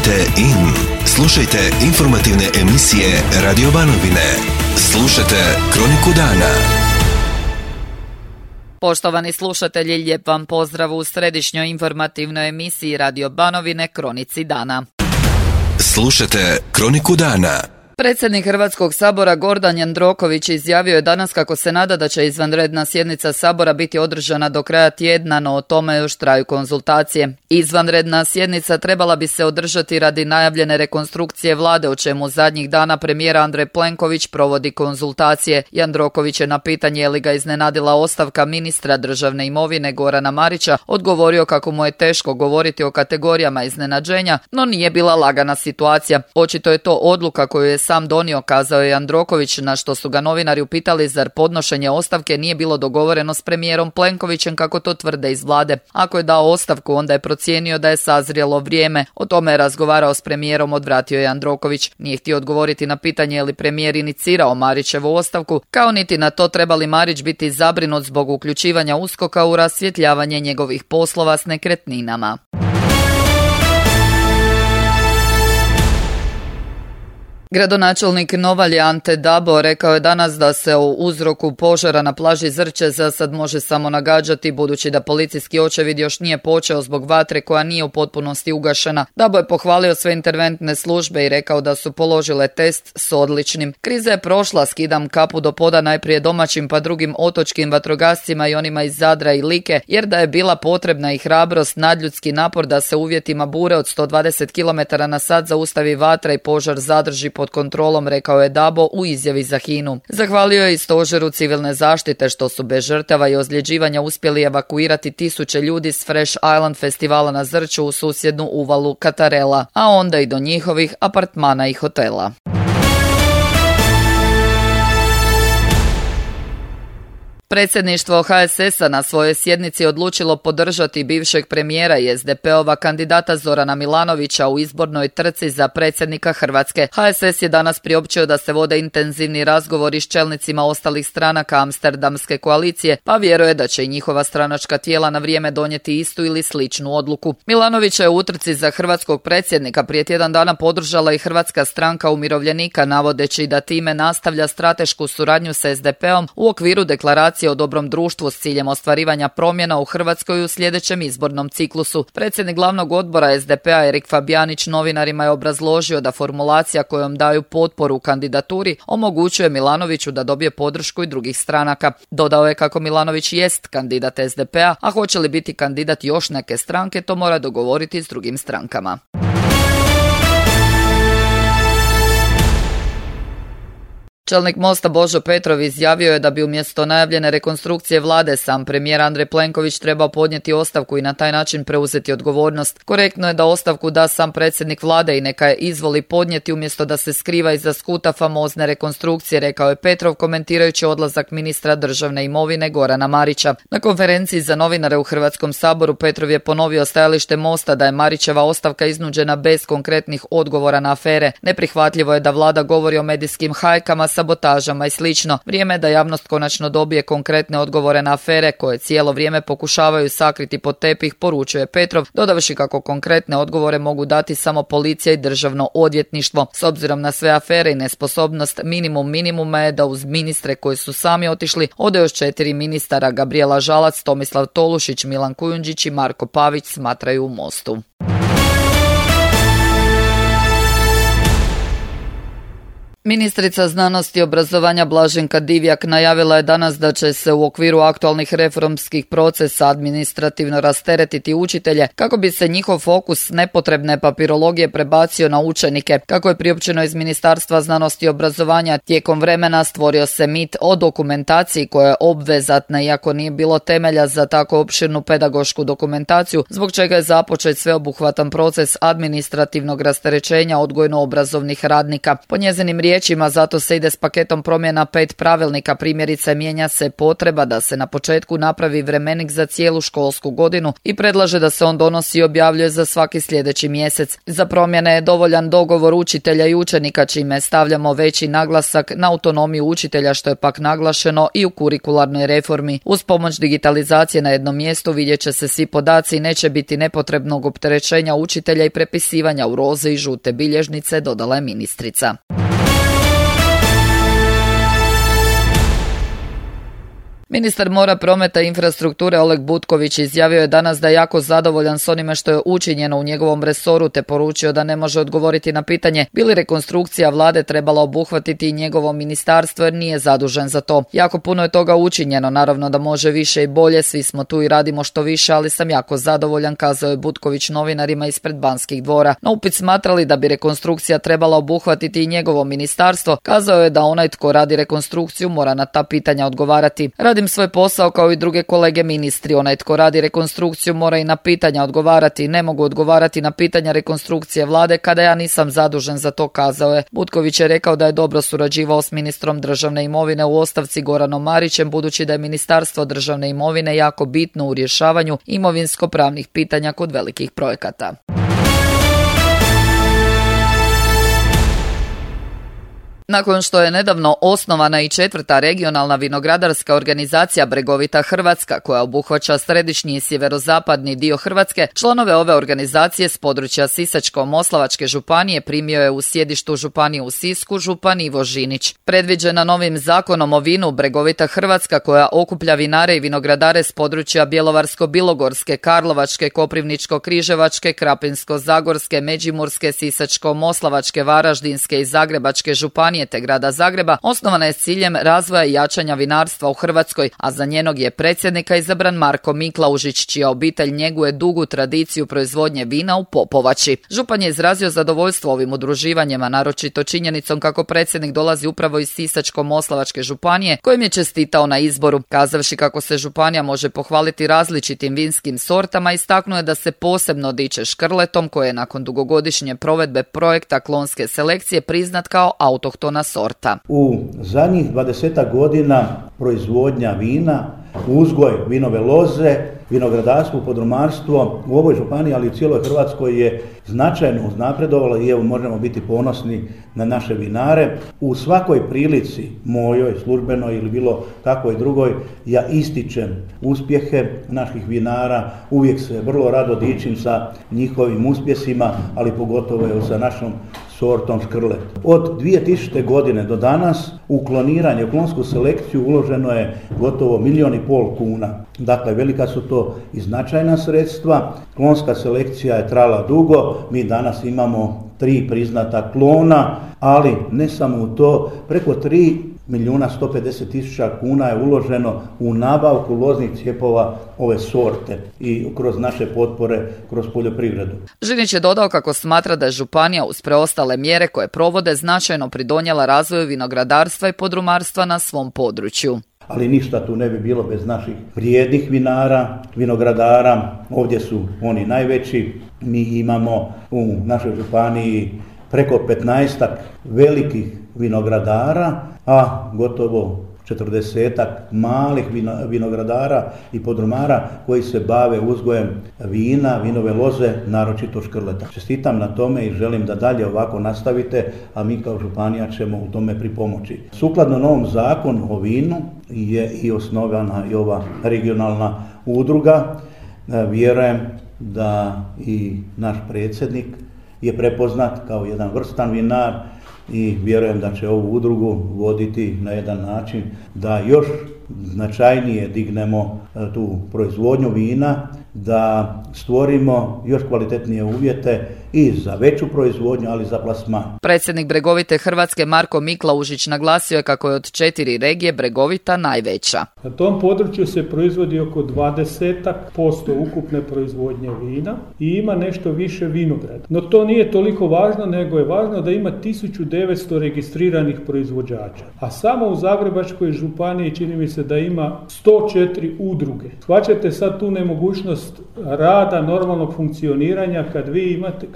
Kliknite in. Slušajte informativne emisije Radio Banovine. Slušajte Kroniku dana. Poštovani slušatelji, lijep vam pozdrav u središnjoj informativnoj emisiji Radio Banovine Kronici dana. Slušajte Kroniku dana. Predsjednik Hrvatskog sabora Gordan Jandroković izjavio je danas kako se nada da će izvanredna sjednica sabora biti održana do kraja tjedna, no o tome još traju konzultacije. Izvanredna sjednica trebala bi se održati radi najavljene rekonstrukcije vlade, o čemu zadnjih dana premijer Andrej Plenković provodi konzultacije. Jandroković je na pitanje je li ga iznenadila ostavka ministra državne imovine Gorana Marića odgovorio kako mu je teško govoriti o kategorijama iznenađenja, no nije bila lagana situacija. Očito je to odluka koju je sam donio, kazao je Jandroković, na što su ga novinari upitali zar podnošenje ostavke nije bilo dogovoreno s premijerom Plenkovićem kako to tvrde iz vlade. Ako je dao ostavku, onda je procijenio da je sazrijelo vrijeme. O tome je razgovarao s premijerom, odvratio je Jandroković. Nije htio odgovoriti na pitanje je li premijer inicirao Marićevu ostavku, kao niti na to treba li Marić biti zabrinut zbog uključivanja USKOK-a u rasvjetljavanje njegovih poslova s nekretninama. Gradonačelnik Novalje Ante Dabo rekao je danas da se o uzroku požara na plaži Zrče za sad može samo nagađati, budući da policijski očevid još nije počeo zbog vatre koja nije u potpunosti ugašena. Dabo je pohvalio sve interventne službe i rekao da su položile test s odličnim. Kriza je prošla, skidam kapu do poda najprije domaćim pa drugim otočkim vatrogascima i onima iz Zadra i Like, jer da je bila potrebna i hrabrost, nadljudski napor da se uvjetima bure od 120 km/h zaustavi vatra i požar zadrži pod kontrolom, rekao je Dabo u izjavi za HINA-u. Zahvalio je i stožeru civilne zaštite što su bez žrtava i ozljeđivanja uspjeli evakuirati tisuće ljudi s Fresh Island festivala na Zrču u susjednu uvalu Katarela, a onda i do njihovih apartmana i hotela. Predsjedništvo HSS-a na svojoj sjednici odlučilo podržati bivšeg premijera i SDP-ova kandidata Zorana Milanovića u izbornoj trci za predsjednika Hrvatske. HSS je danas priopćio da se vode intenzivni razgovori s čelnicima ostalih stranaka Amsterdamske koalicije, pa vjeruje da će i njihova stranačka tijela na vrijeme donijeti istu ili sličnu odluku. Milanovića je u utrci za hrvatskog predsjednika prije tjedan dana podržala i Hrvatska stranka umirovljenika, navodeći da time nastavlja stratešku suradnju sa SDP-om u okviru deklaracije o dobrom društvu s ciljem ostvarivanja promjena u Hrvatskoj u sljedećem izbornom ciklusu. Predsjednik glavnog odbora SDP-a Erik Fabijanić novinarima je obrazložio da formulacija kojom daju potporu kandidaturi omogućuje Milanoviću da dobije podršku i drugih stranaka. Dodao je kako Milanović jest kandidat SDP-a, a hoće li biti kandidat još neke stranke, to mora dogovoriti s drugim strankama. Čelnik Mosta Božo Petrov izjavio je da bi umjesto najavljene rekonstrukcije vlade sam premijer Andrej Plenković trebao podnijeti ostavku i na taj način preuzeti odgovornost. Korektno je da ostavku da sam predsjednik vlade i neka je izvoli podnijeti umjesto da se skriva iza skuta famozne rekonstrukcije, rekao je Petrov komentirajući odlazak ministra državne imovine Gorana Marića. Na konferenciji za novinare u Hrvatskom saboru Petrov je ponovio stajalište Mosta da je Marićeva ostavka iznuđena bez konkretnih odgovora na afere. Neprihvatljivo je da vlada govori o medijskim hajkama, sabotažama i slično. Vrijeme je da javnost konačno dobije konkretne odgovore na afere koje cijelo vrijeme pokušavaju sakriti pod tepih, poručuje Petrov, dodavši kako konkretne odgovore mogu dati samo policija i državno odvjetništvo. S obzirom na sve afere i nesposobnost, minimuma je da uz ministre koji su sami otišli ode još 4 ministara: Gabrijela Žalac, Tomislav Tolušić, Milan Kujundžić i Marko Pavić, smatraju u Mostu. Ministrica znanosti i obrazovanja Blaženka Divjak najavila je danas da će se u okviru aktualnih reformskih procesa administrativno rasteretiti učitelje kako bi se njihov fokus nepotrebne papirologije prebacio na učenike. Kako je priopćeno iz Ministarstva znanosti i obrazovanja, tijekom vremena stvorio se mit o dokumentaciji koja je obvezatna iako nije bilo temelja za tako opširnu pedagošku dokumentaciju, zbog čega je započet sveobuhvatan proces administrativnog rasterećenja odgojno-obrazovnih radnika. Po njezinim riječima, zato se ide s paketom promjena 5 pravilnika. Primjerice, mijenja se potreba da se na početku napravi vremenik za cijelu školsku godinu i predlaže da se on donosi i objavljuje za svaki sljedeći mjesec. Za promjene je dovoljan dogovor učitelja i učenika, čime stavljamo veći naglasak na autonomiju učitelja, što je pak naglašeno i u kurikularnoj reformi. Uz pomoć digitalizacije na jednom mjestu vidjet će se svi podaci i neće biti nepotrebnog opterećenja učitelja i prepisivanja u roze i žute bilježnice, dodala je ministrica. Ministar mora, prometa i infrastrukture Oleg Butković izjavio je danas da je jako zadovoljan s onime što je učinjeno u njegovom resoru, te poručio da ne može odgovoriti na pitanje bi li rekonstrukcija vlade trebala obuhvatiti i njegovo ministarstvo jer nije zadužen za to. Jako puno je toga učinjeno, naravno da može više i bolje, svi smo tu i radimo što više, ali sam jako zadovoljan, kazao je Butković novinarima ispred Banskih dvora. Na upit smatrali da bi rekonstrukcija trebala obuhvatiti i njegovo ministarstvo, kazao je da onaj tko radi rekonstrukciju mora na ta pitanja odgovarati. Radim svoj posao kao i druge kolege ministri. Onaj tko radi rekonstrukciju mora i na pitanja odgovarati. Ne mogu odgovarati na pitanja rekonstrukcije vlade kada ja nisam zadužen za to, kazao je. Butković je rekao da je dobro surađivao s ministrom državne imovine u ostavci Goranom Marićem, budući da je Ministarstvo državne imovine jako bitno u rješavanju imovinsko-pravnih pitanja kod velikih projekata. Nakon što je nedavno osnovana i 4. regionalna vinogradarska organizacija Bregovita Hrvatska, koja obuhvaća središnji i sjeverozapadni dio Hrvatske, članove ove organizacije s područja Sisačko-moslavačke županije primio je u sjedištu županije u Sisku župan Ivo Žinić. Predviđena novim zakonom o vinu, Bregovita Hrvatska, koja okuplja vinare i vinogradare s područja Bjelovarsko-bilogorske, Karlovačke, Koprivničko-križevačke, Krapinsko-zagorske, Međimurske, Sisačko-moslavačke, Varaždinske i Zagrebačke županije te grada Zagreba, osnovana je s ciljem razvoja i jačanja vinarstva u Hrvatskoj, a za njenog je predsjednika izabran Marko Miklaužić, čija obitelj njeguje dugu tradiciju proizvodnje vina u Popovači. Župan je izrazio zadovoljstvo ovim udruživanjima, naročito činjenicom kako predsjednik dolazi upravo iz Sisačko-moslavačke županije, kojem je čestitao na izboru. Kazavši kako se županija može pohvaliti različitim vinskim sortama, istaknuo je da se posebno diče škrletom, koje je nakon dugogodišnje provedbe projekta klonske selekcije priznat kao autohtona sorta. U zadnjih 20 godina proizvodnja vina, uzgoj vinove loze, vinogradarstvo, podrumarstvo u ovoj županiji, ali i u cijeloj Hrvatskoj je značajno uznapredovalo i evo možemo biti ponosni na naše vinare. U svakoj prilici, mojoj, službenoj ili bilo kakvoj drugoj, ja ističem uspjehe naših vinara, uvijek se vrlo rado dičim sa njihovim uspjesima, ali pogotovo je sa našom sortom škrlet. Od 2000. godine do danas u kloniranje, u klonsku selekciju uloženo je gotovo 1,5 milijuna kuna. Dakle, velika su to i značajna sredstva. Klonska selekcija je trajala dugo, mi danas imamo 3 priznata klona, ali ne samo u to, preko 3.150.000 kuna je uloženo u nabavku loznih cijepova ove sorte i kroz naše potpore, kroz poljoprivredu. Žinić je dodao kako smatra da je županija uz preostale mjere koje provode značajno pridonijela razvoju vinogradarstva i podrumarstva na svom području. Ali ništa tu ne bi bilo bez naših vrijednih vinara, vinogradara. Ovdje su oni najveći. Mi imamo u našoj županiji preko 15 velikih vinogradara, a gotovo 40 malih vinogradara i podrumara koji se bave uzgojem vina, vinove loze, naročito škrleta. Čestitam na tome i želim da dalje ovako nastavite, a mi kao županija ćemo u tome pripomoći. Sukladno novom zakonu o vinu je i osnovana i ova regionalna udruga. Vjerujem da i naš predsjednik je prepoznat kao jedan vrstan vinar i vjerujem da će ovu udrugu voditi na jedan način da još značajnije dignemo tu proizvodnju vina, da stvorimo još kvalitetnije uvjete i za veću proizvodnju, ali za plasman. Predsjednik Bregovite Hrvatske Marko Miklaužić naglasio je kako je od 4 regije Bregovita najveća. Na tom području se proizvodi oko 20% ukupne proizvodnje vina i ima nešto više vinograda. No to nije toliko važno, nego je važno da ima 1900 registriranih proizvođača. A samo u Zagrebačkoj županiji čini mi se da ima 104 udruge. Shvaćate sad tu nemogućnost mogućnost rada, normalnog funkcioniranja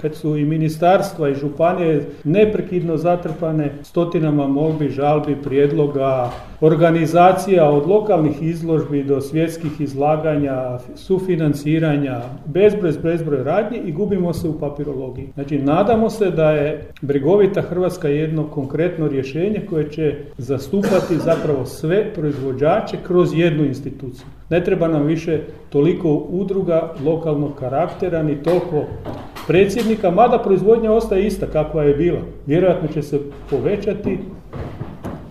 kad su i ministarstva i županije neprekidno zatrpane stotinama molbi, žalbi, prijedloga, organizacija od lokalnih izložbi do svjetskih izlaganja, sufinanciranja, bezbroj radnji i gubimo se u papirologiji. Znači, nadamo se da je bregovita Hrvatska jedno konkretno rješenje koje će zastupati zapravo sve proizvođače kroz jednu instituciju. Ne treba nam više toliko udruga lokalnog karaktera, ni toliko predsjednika, mada proizvodnja ostaje ista kakva je bila. Vjerojatno će se povećati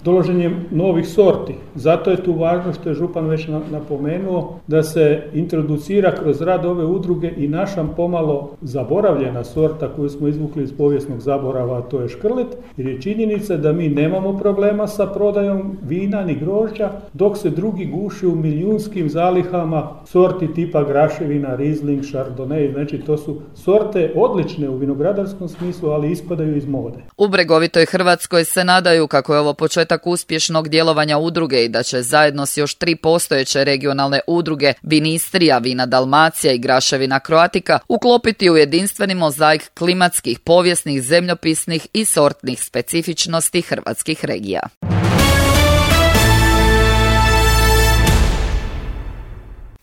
dolaženjem novih sorti. Zato je tu važno, što je župan već napomenuo, da se introducira kroz rad ove udruge i naša pomalo zaboravljena sorta koju smo izvukli iz povijesnog zaborava, a to je škrlet, jer je činjenica da mi nemamo problema sa prodajom vina ni grožđa, dok se drugi guši u milijunskim zalihama sorti tipa graševina, Riesling, Chardonnay, znači to su sorte odlične u vinogradarskom smislu, ali ispadaju iz mode. U bregovitoj Hrvatskoj se nadaju kako je ovo početak uspješnog djelovanja udruge i da će zajedno s još 3 postojeće regionalne udruge Vinistrija, Vina Dalmacija i Graševina Croatica uklopiti u jedinstveni mozaik klimatskih, povijesnih, zemljopisnih i sortnih specifičnosti hrvatskih regija.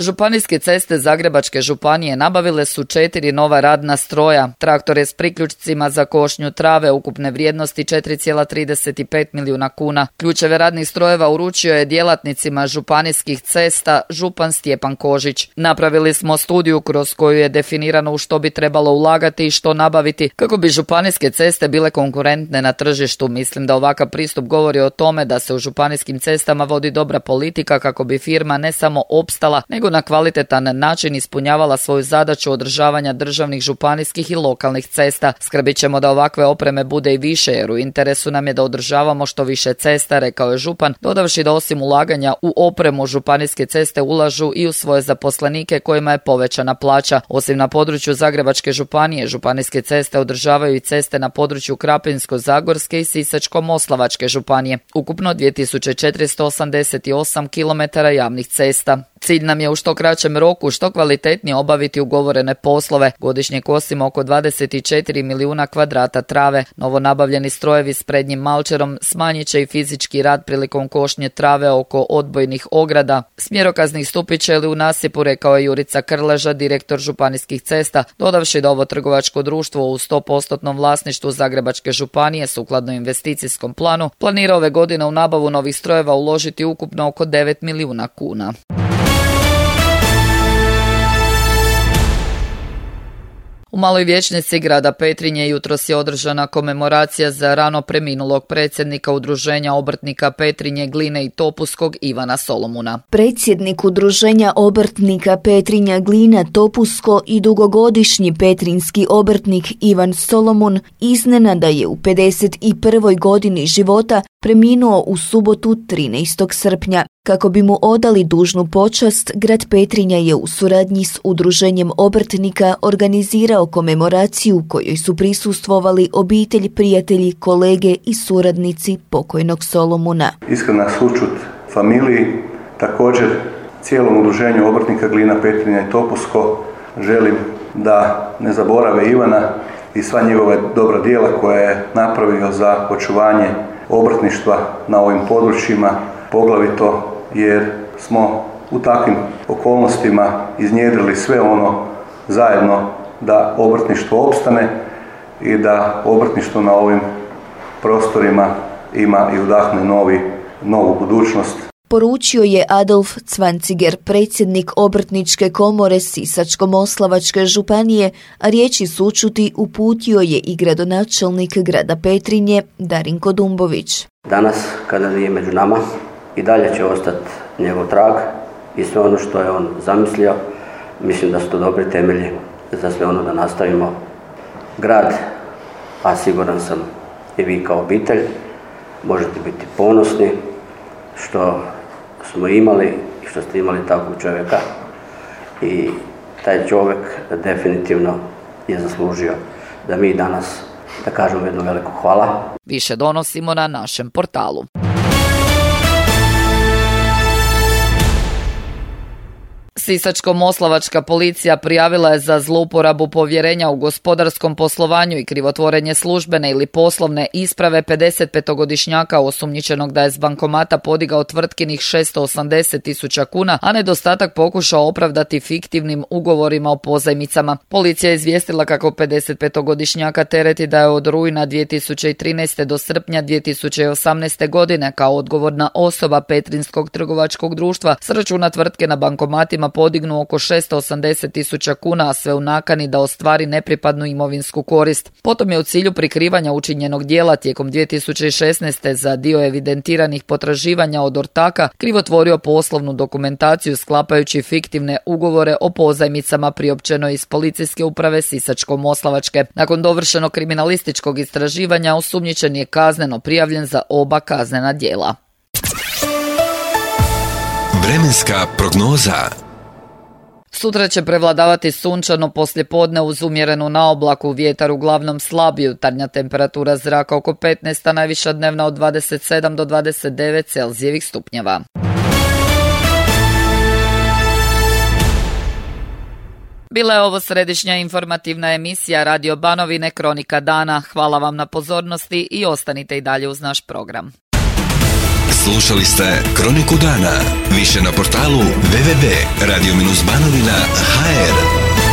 Županijske ceste Zagrebačke županije nabavile su 4 nova radna stroja, traktore s priključcima za košnju trave ukupne vrijednosti 4,35 milijuna kuna. Ključeve radnih strojeva uručio je djelatnicima županijskih cesta župan Stjepan Kožić. Napravili smo studiju kroz koju je definirano u što bi trebalo ulagati i što nabaviti kako bi županijske ceste bile konkurentne na tržištu. Mislim da ovakav pristup govori o tome da se u županijskim cestama vodi dobra politika kako bi firma ne samo opstala, nego na kvalitetan način ispunjavala svoju zadaću održavanja državnih, županijskih i lokalnih cesta. Skrbit ćemo da ovakve opreme bude i više, jer u interesu nam je da održavamo što više cesta, rekao je župan, dodavši da osim ulaganja u opremu županijske ceste ulažu i u svoje zaposlenike kojima je povećana plaća. Osim na području Zagrebačke županije, županijske ceste održavaju i ceste na području Krapinsko-zagorske i Sisačko-moslavačke županije. Ukupno 2488 km javnih cesta. Cilj nam je u što kraćem roku što kvalitetnije obaviti ugovorene poslove. Godišnje kosimo oko 24 milijuna kvadrata trave. Novo nabavljeni strojevi s prednjim malčerom smanjit će i fizički rad prilikom košnje trave oko odbojnih ograda. Smjerokaznih stupića ili u nasipu, rekao je Jurica Krleža, direktor županijskih cesta, dodavši da ovo trgovačko društvo u 100% vlasništvu Zagrebačke županije sukladno investicijskom planu planira ove godine u nabavu novih strojeva uložiti ukupno oko 9 milijuna kuna. U Maloj vijećnici grada Petrinje jutros je održana komemoracija za rano preminulog predsjednika Udruženja obrtnika Petrinje, Gline i Topuskog Ivana Solomuna. Predsjednik Udruženja obrtnika Petrinja, Glina, Topusko i dugogodišnji petrinjski obrtnik Ivan Solomun iznenada je u 51. godini života preminuo u subotu 13. srpnja. Kako bi mu odali dužnu počast, grad Petrinja je u suradnji s Udruženjem obrtnika organizirao komemoraciju kojoj su prisustvovali obitelj, prijatelji, kolege i suradnici pokojnog Solomuna. Iskrena sućut familiji, također cijelom Udruženju obrtnika Glina, Petrinja i Topusko želim da ne zaborave Ivana i sva njegova dobra djela koje je napravio za očuvanje obrtništva na ovim područjima, poglavito jer smo u takvim okolnostima iznjedrili sve ono zajedno da obrtništvo opstane i da obrtništvo na ovim prostorima ima i udahne novu budućnost. Poručio je Adolf Cvanciger, predsjednik Obrtničke komore Sisačko-moslavačke županije, a riječi sućuti uputio je i gradonačelnik grada Petrinje Darinko Dumbović. Danas, kada nije među nama, i dalje će ostati njegov trag i sve ono što je on zamislio. Mislim da su to dobri temelji za sve ono da nastavimo. Grad, a siguran sam i vi kao obitelj, možete biti ponosni što smo imali i što ste imali takvog čovjeka i taj čovjek definitivno je zaslužio da mi danas da kažemo jedno veliko hvala. Više donosimo na našem portalu. Sisačko-moslavačka policija prijavila je za zlouporabu povjerenja u gospodarskom poslovanju i krivotvorenje službene ili poslovne isprave 55-godišnjaka osumnjičenog da je s bankomata podigao tvrtkinih 680.000 kuna, a nedostatak pokušao opravdati fiktivnim ugovorima o pozajmicama. Policija je izvijestila kako 55-godišnjaka tereti da je od rujna 2013. do srpnja 2018. godine kao odgovorna osoba Petrinjskog trgovačkog društva s računa tvrtke na bankomatima podignu oko 680.000 kuna, a sve u nakani da ostvari nepripadnu imovinsku korist. Potom je u cilju prikrivanja učinjenog dijela tijekom 2016. za dio evidentiranih potraživanja od ortaka krivotvorio poslovnu dokumentaciju sklapajući fiktivne ugovore o pozajmicama priopćeno iz policijske uprave Sisačko-moslavačke. Nakon dovršenog kriminalističkog istraživanja osumnjičen je kazneno prijavljen za oba kaznena djela. Vremenska prognoza. Sutra će prevladavati sunčano poslijepodne uz umjerenu naoblaku, vjetar uglavnom slab, jutarnja temperatura zraka oko 15, a najviša dnevna od 27 do 29 Celzijevih stupnjeva. Bila je ovo središnja informativna emisija Radio Banovine Kronika dana. Hvala vam na pozornosti i ostanite i dalje uz naš program. Slušali ste Kroniku dana. Više na portalu www.radio-banovina.hr.